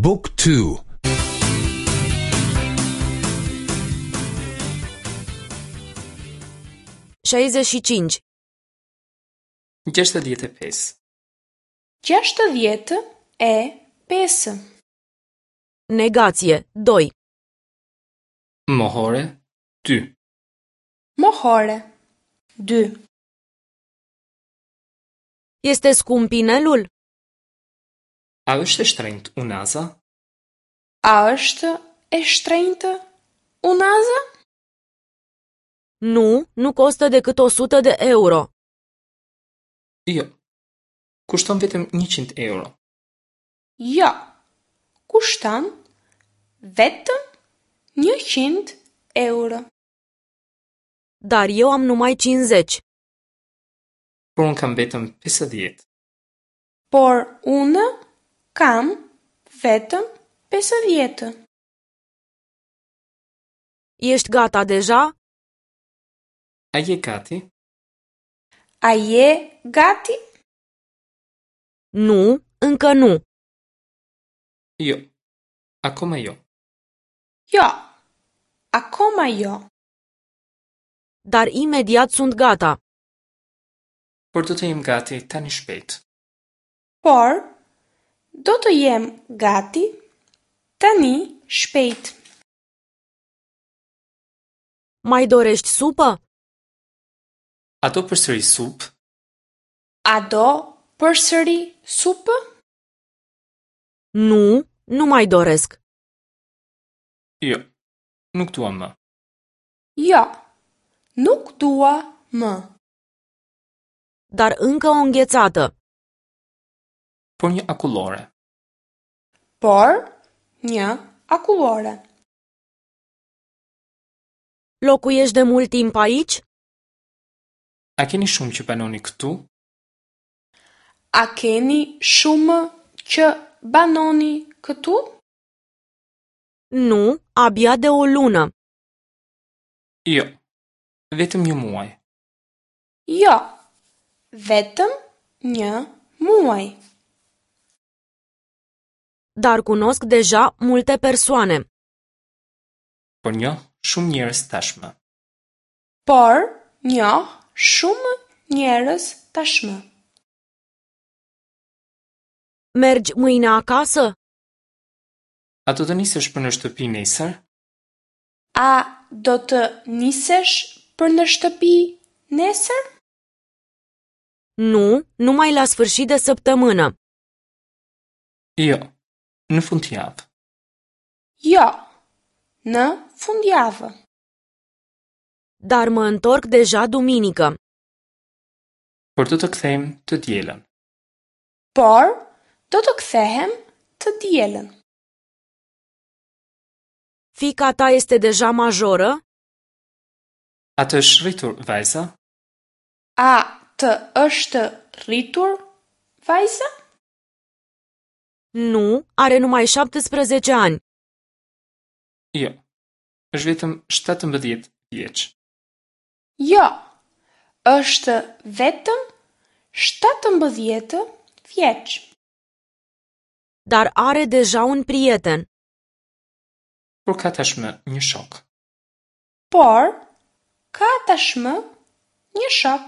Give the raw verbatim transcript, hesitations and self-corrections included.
Book two. Șaizeci și cinci. Gjashtëdhjetë e pesë. Gjashtëdhjetë e pesë. Negație doi. Mohore dy. Mohore dy. Este scump inelul? A është e shtrenjtë unaza? A është e shtrenjtë unaza? Nu, nu costă decât o sută de euro. Jo. Kushton vetëm njëqind euro. Jo. Kushton vetëm njëqind euro. Dar eu am numai cincizeci. Por unë kam vetëm pesëdhjetë. Por unë kam vetëm pesëdhjetë. Ești gata deja? A je gati? A je gati? Nu, încă nu. Jo. Akoma jo. Jo. Akoma jo. Dar imediat sunt gata. Por do të jem gati tani shpejt. Por do të jem gati tani shpejt. Mai dorești supă? A do përsëri supë? A do përsëri supë? Nu, nu mai doresc. Jo, nuk dua më. Jo, nuk dua më. Dar încă o înghețată. Por një akullore. Por një akullore. Locuiești de mult timp aici? A keni shumë që banoni këtu? A keni shumë që banoni këtu? Nu, abia de o lună. Jo, vetëm një muaj. Jo, vetëm një muaj. Dar cunosc deja multe persoane. Por njoh shumë njerëz tashmë. Por njoh shumë njerëz tashmë. Mergi mâine acasă? A do të nisesh për në shtëpi nesër? A do të nisesh për në shtëpi nesër? Nu, numai la sfârșit de săptămână. Jo, në fundjavë. Jo, në fundjavë. Dar mă întorc deja duminică. Por do të kthehem të dielën. Por do të kthehem të dielën. Fiica ta este deja majoră? A të është rritur vajza? A të është rritur vajza? Nu, are numai șaptesprezece ani. Jo, është vetëm shtatëmbëdhjetë vjeç. Jo, është vetëm shtatëmbëdhjetë vjeç. Dar are deja un prieten. Por ka tashmë një shok. Por ka tashmë një shok.